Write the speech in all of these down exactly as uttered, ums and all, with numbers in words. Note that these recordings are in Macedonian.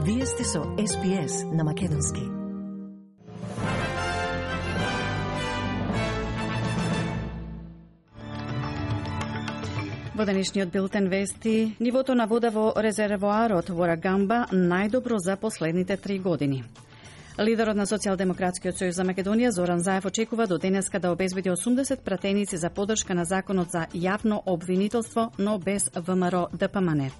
Вие сте со Ес Би Ес на Македонски. Во денешниот билтен вести, нивото на вода во резервоарот во Рагамба најдобро за последните три години. Лидерот на Социјалдемократскиот сојуз за Македонија Зоран Заев очекува до денеска да обезбеди осумдесет пратеници за поддршка на законот за јавно обвинителство, но без Вэ Ем Ар Де Пе Ем Ен.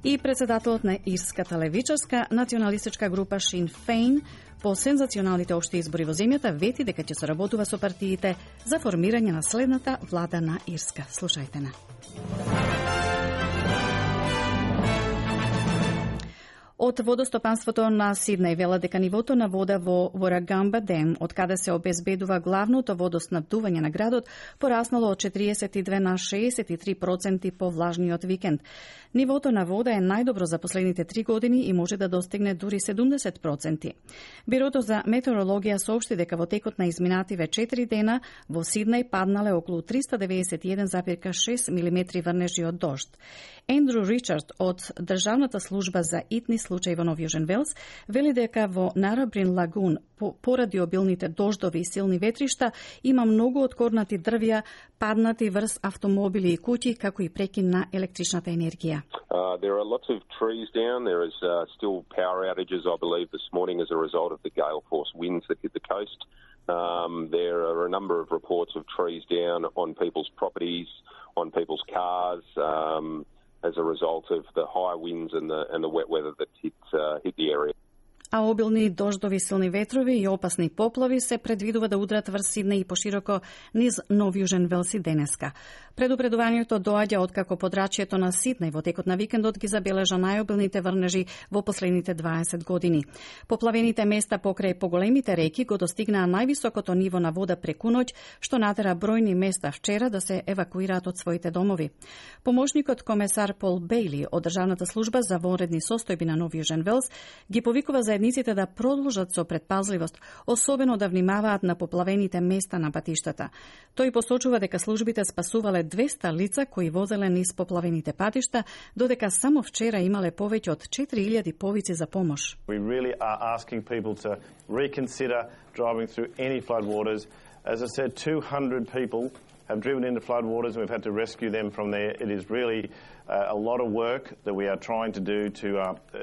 И председателот на Ирската левичарска националистичка група Шин Фейн по сензационалните општи избори во земјата вети дека ќе соработува со партиите за формирање на следната влада на Ирска. Слушајте на. Од водостопанството на Сиднеј вела дека нивото на вода во Рагамба Дем, од каде се обезбедува главното водоснабдување на градот, пораснало од четириесет и две на шеесет и три проценти по влажниот викенд. Нивото на вода е најдобро за последните три години и може да достигне дури седумдесет проценти. Бирото за метеорологија соопшти дека во текот на изминативе четири дена во Сиднеј паднале околу триста деветдесет и еден зарез шест милиметри врнежи од дожд. Ендрю Ричард од Државната служба за итни случаи во Нов Јужен Велс вели дека во Нарабрин Лагун поради обилните дождови и силни ветришта има многу откорнати дрвја паднати врз автомобили и куќи, како и прекин на електричната енергија. Uh, there are lots of trees down. There is uh, still power outages, I believe, this morning as a result of the gale force winds that hit the coast. Um, there are a number of reports of trees down on people's properties, on people's cars, um, as a result of the high winds and the and the wet weather that hit uh, hit the area. А обилни дождови, силни ветрови и опасни поплави се предвидува да удрат врз Сиднеј и пошироко низ Нов Јужен Велс и денеска. Предупредувањето доаѓа откако подрачјето на Сиднеј во текот на викендот ги забележа најобилните врнежи во последните дваесет години. Поплавените места покрај поголемите реки го достигнаа највисокото ниво на вода преку ноќ, што натера бројни места вчера да се евакуираат од своите домови. Помошникот комесар Пол Бејли од Државната служба за вонредни состојби на Нов Јужен Велс ги повикува заедниците да продолжат со предпазливост, особено да внимаваат на поплавените места на патиштата. Тој посочува дека службите спасувале двеста лица кои возеле низ поплавените патишта, додека само вчера имале повеќе од четири илјади повици за помош. We really are asking people to reconsider driving through any floodwaters. As I said, two hundred people have driven into floodwaters and we've had to rescue them from there. It is really uh, a lot of work that we are trying to do to uh, uh,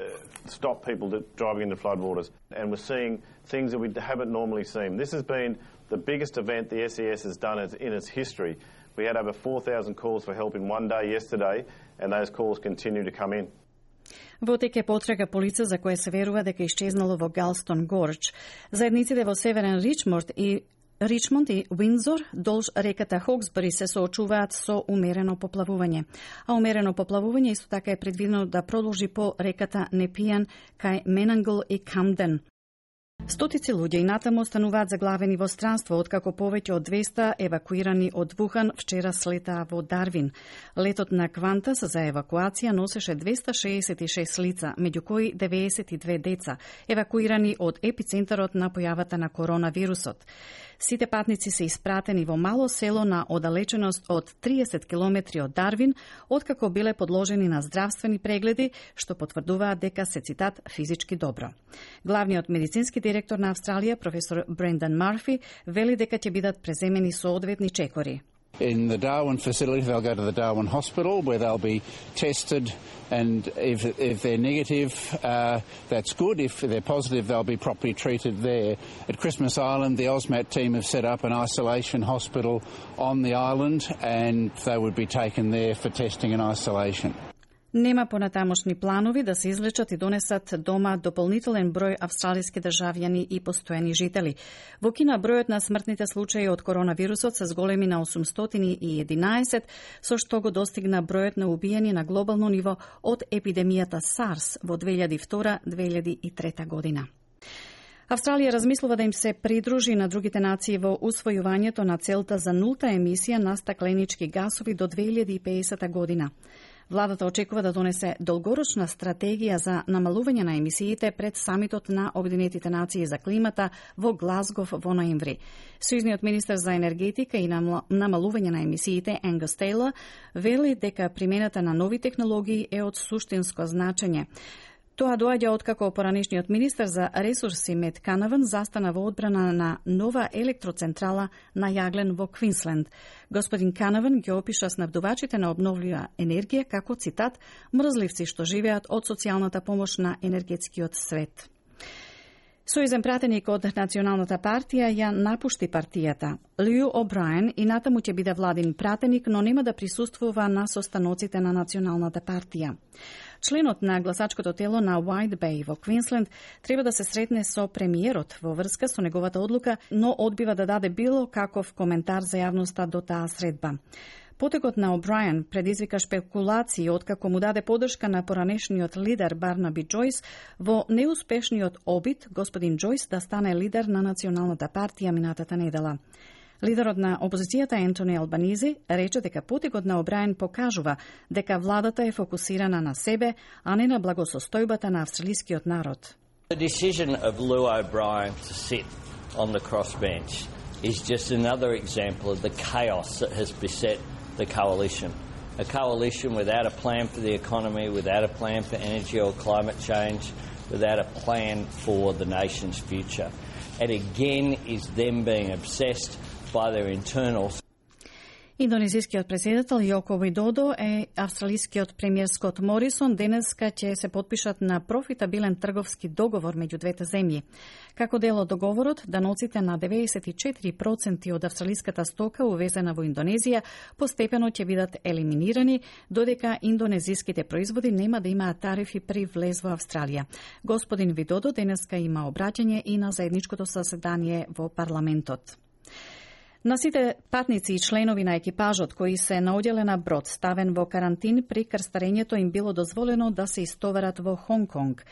stop people that driving into floodwaters. And we're seeing things that we haven't normally seen. This has been the biggest event the S E S has done in its history. We had over four thousand calls for help in one day yesterday, and those calls continue to come in. Во тек е потрага по лице за кое се верува дека исчезнало во Галстон Гордж. Заедниците во Северен Ричмонд и Ричмонд и Уиндзор долж реката Хоксбери се соочуваат со умерено поплавување. А умерено поплавување исто така е предвидено да продолжи по реката Непијан кај Менангл и Камден. Стотици луѓе и натаму остануваат заглавени во странство, откако повеќе од двеста евакуирани од Вухан вчера слетаа во Дарвин. Летот на Квантас за евакуација носеше двеста шеесет и шест лица, меѓу кои деветдесет и две деца, евакуирани од епицентарот на појавата на коронавирусот. Сите патници се испратени во мало село на оддалеченост од триесет километри од Дарвин, откако биле подложени на здравствени прегледи, што потврдуваат дека се, цитат, физички добро. Главниот медицински директор на Австралија, професор Брендан Марфи, вели дека ќе бидат преземени соодветни чекори. In the Darwin facility, they'll go to the Darwin Hospital where they'll be tested, and if, if they're negative, uh, that's good. If they're positive, they'll be properly treated there. At Christmas Island, the AUSMAT team have set up an isolation hospital on the island, and they would be taken there for testing and isolation. Нема понатамошни планови да се излечат и донесат дома дополнителен број австралиски државјани и постојани жители. Во Кина бројот на смртните случаи од коронавирусот се зголеми на осумстотини и единаесет, со што го достигна бројот на убиени на глобално ниво од епидемијата SARS во две илјади и втора - две илјади и трета година. Австралија размислува да им се придружи на другите нации во усвојувањето на целта за нулта емисија на стакленички гасови до две илјади и педесета година. Владата очекува да донесе долгорочна стратегија за намалување на емисиите пред самитот на Обединетите нации за климата во Глазгов во ноември. Сојузниот министер за енергетика и намалување на емисиите Енгус Тейлор вели дека примената на нови технологии е од суштинско значење. Тоа доаѓа откако поранешниот министер за ресурси Мет Канаван застана во одбрана на нова електроцентрала на јаглен во Квинсленд. Господин Канаван ги опиша снабдувачите на обновлива енергија како, цитат, мрзливци што живеат од социјалната помош на енергетскиот свет. Сојузен пратеник од Националната партија ја напушти партијата. Лју О'Брајен и натаму ќе биде владин пратеник, но нема да присуствува на состаноците на Националната партија. Членот на гласачкото тело на White Bay во Квинсленд треба да се сретне со премиерот во врска со неговата одлука, но одбива да даде било каков коментар за јавноста до таа средба. Потекот на О'Брајен предизвика шпекулации откако му даде подршка на поранешниот лидер Барнаби Џојс во неуспешниот обид господин Џојс да стане лидер на Националната партија минатата недела. Лидерот на опозицијата Ентони Албанизи рече дека потекот на О'Брајен покажува дека владата е фокусирана на себе, а не на благосостојбата на австралискиот народ. The decision of Lou O'Brien to sit on the crossbench is just another example of the chaos that has beset the coalition. A coalition without a plan for the economy, without a plan for energy or climate change, without a plan for the nation's future. It again is them being obsessed by their internals. Индонезискиот претседател Јоко Видодо и австралискиот премиер Скот Морисон денеска ќе се потпишат на профитабилен трговски договор меѓу двете земји. Како дел од договорот, даноците на деветдесет и четири проценти од австралиската стока увезена во Индонезија постепено ќе бидат елиминирани, додека индонезиските производи нема да имаат тарифи при влез во Австралија. Господин Видодо денеска има обраќање и на заедничкото заседание во парламентот. На сите патници и членови на екипажот кои се на одделена брод ставен во карантин при крстарењето им било дозволено да се истоварат во Хонг Конг.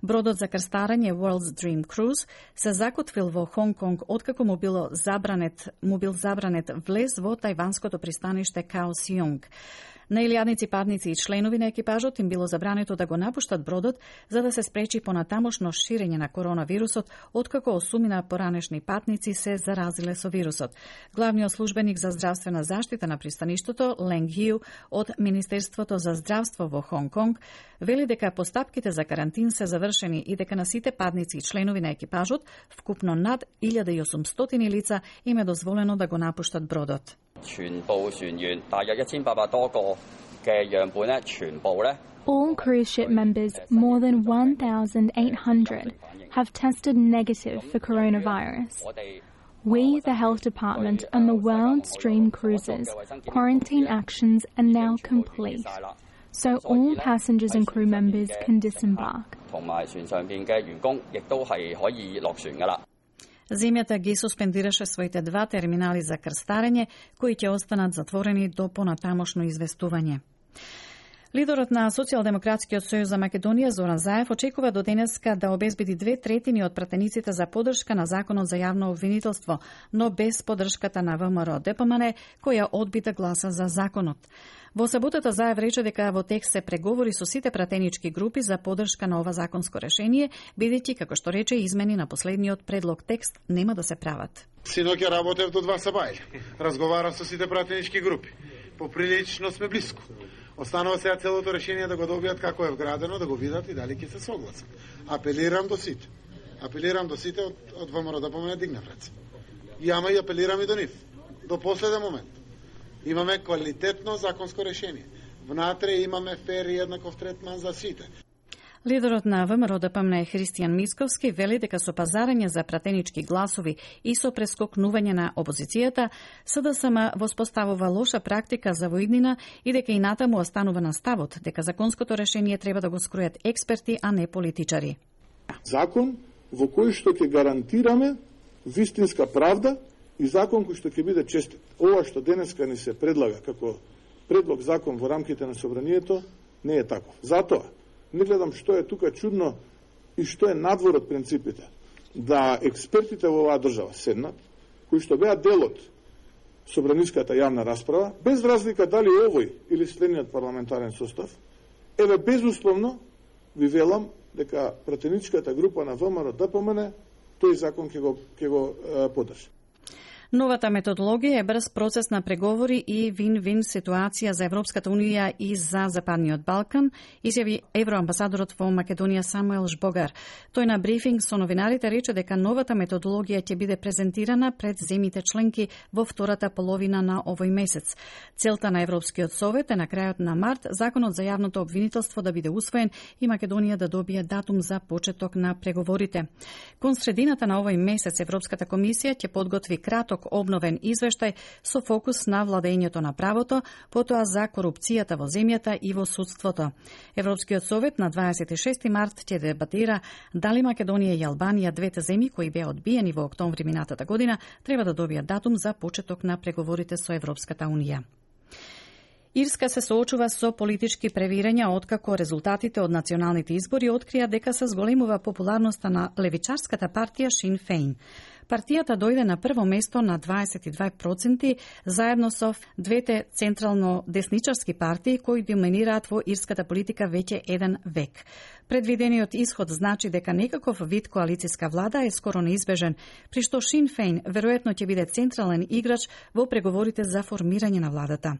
Бродот за крстарење World's Dream Cruise се закотвил во Хонг Конг откако му било забранет, му бил забранет влез во тајванското пристаниште Као Сијунг. На илјадници патници и членови на екипажот им било забрането да го напуштат бродот за да се спречи понатамошно ширење на коронавирусот, откако осумина поранешни патници се заразиле со вирусот. Главниот службеник за здравствена заштита на пристаништото, Ленг Хју, од Министерството за здравство во Хонг Конг, вели дека постапките за карантин се завршени и дека на сите патници и членови на екипажот, вкупно над илјада и осумстотини лица, им е дозволено да го напуштат бродот. 全部船員大約一千八百多個嘅樣本咧，全部咧。 All cruise ship members, more than one thousand eight hundred, have tested negative for coronavirus. We, the Health Department, and the World's Dream Cruises, quarantine actions are now complete, so all passengers and crew members can disembark. 同埋船上邊嘅員工亦都係可以落船㗎啦。 Земјата ги суспендираше своите два терминали за крстарење, кои ќе останат затворени до понатамошно известување. Лидерот на Социјалдемократскиот сојуз за Македонија Зоран Заев очекува до денеска да обезбеди две третини од пратениците за поддршка на законот за јавно обвинителство, но без поддршката на ВМРО Д П М Н, која одби да гласа за законот. Во саботата Заев рече дека во текст се преговори со сите пратенички групи за поддршка на ова законско решение, бидејќи, како што рече, измени на последниот предлог текст нема да се прават. Синоќа работев до два сабајле. Разговарав со сите пратенички групи. Поприлично сме блиску. Останува сега целото решение да го добијат како е вградено, да го видат и дали ќе се согласат. Апелирам до сите. Апелирам до сите од, од ВМРО да помене дигнав раце. И ама и апелирам и до нив. До последен момент. Имаме квалитетно законско решение. Внатре имаме фер и еднаков третман за сите. Лидерот на ВМРО Д П М Н Христијан Мицковски вели дека со пазарење за пратенички гласови и со прескокнување на опозицијата, С Д С М воспоставува лоша практика за воиднина и дека и натаму останува на ставот дека законското решение треба да го скројат експерти, а не политичари. Закон во кој што ќе гарантираме вистинска правда и закон кој што ќе биде честит. Ова што денеска ни се предлага како предлог закон во рамките на собранието не е таков. Затоа не гледам што е тука чудно и што е надвор од принципите да експертите во оваа држава седнат, кои што беа дел од собраниската јавна расправа, без разлика дали овој или следниот парламентарен состав, еве безусловно ви велам дека пратеничката група на ВМРО Д П М Н тој закон ќе го ќе го е, поддржи. Новата методологија е брз процес на преговори и вин-вин ситуација за Европската унија и за Западниот Балкан, изјави евроамбасадорот во Македонија Самуел Жбогар. Тој на брифинг со новинарите рече дека новата методологија ќе биде презентирана пред земјите членки во втората половина на овој месец. Целта на Европскиот совет е на крајот на март законот за јавното обвинителство да биде усвоен и Македонија да добие датум за почеток на преговорите. Кон средината на овој месец Европската комисија ќе подготви краток обновен извештај со фокус на владењето на правото, потоа за корупцијата во земјата и во судството. Европскиот совет на дваесет и шести март ќе дебатира дали Македонија и Албанија, двете земји кои беа одбиени во октомври минатата година, треба да добијат датум за почеток на преговорите со Европската унија. Ирска се соочува со политички превирања откако резултатите од националните избори открија дека се зголемува популарноста на левичарската партија Sinn Féin. Партијата дојде на прво место на дваесет и две проценти заедно со двете централно десничарски партии кои доминираат во ирската политика веќе еден век. Предвидениот исход значи дека некаков вид коалицијска влада е скоро неизбежен, при што Sinn Féin веројатно ќе биде централен играч во преговорите за формирање на владата.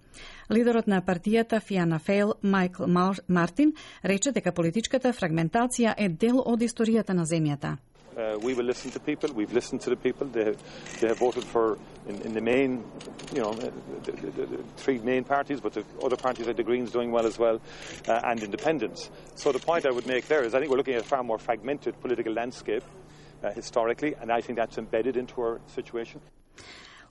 Лидерот на партијата Фиана Фейл, Майкл Мартин, рече дека политичката фрагментација е дел од историјата на земјата. Uh, we will listen to people. We've listened to the people. They have, they have voted for, in, in the main, you know, the, the, the, the three main parties, but the other parties like the Greens doing well as well, uh, and independents. So the point I would make there is I think we're looking at a far more fragmented political landscape uh, historically, and I think that's embedded into our situation.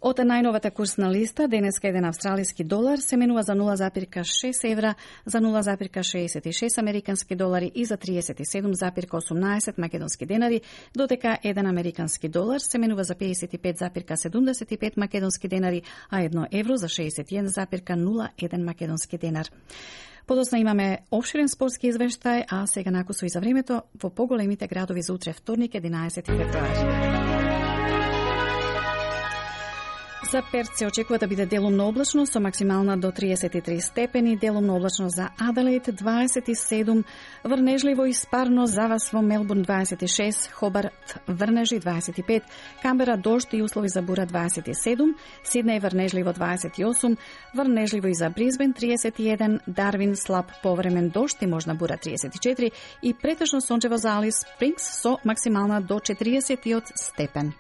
Од најновата курсна листа, денеска еден австралиски долар се менува за нула запирка шест евра, за нула запирка шеесет и шест американски долари и за триесет и седум запирка осумнаесет македонски денари, додека еден американски долар се менува за пеесет и пет запирка седумдесет и пет македонски денари, а едно евро за шеесет и еден запирка нула еден македонски денар. Подосна имаме обширен спортски извештај, а сега накусо и за времето во поголемите градови за утре вторник единаесети февруари. За Перт се очекува да биде делумно облачно со максимална до триесет и три степени, делумно облачно за Аделаид дваесет и седум, врнежливо и спарно за вас во Мелбурн дваесет и шест, Хобарт врнежи дваесет и пет, Камбера дожд и услови за бура дваесет и седум, Сиднеј врнежливо дваесет и осум, врнежливо и за Бризбен триесет и еден, Дарвин слаб повремен дожд и можна бура триесет и четири и претежно сончево за Алис Спрингс со максимална до четириесет степен.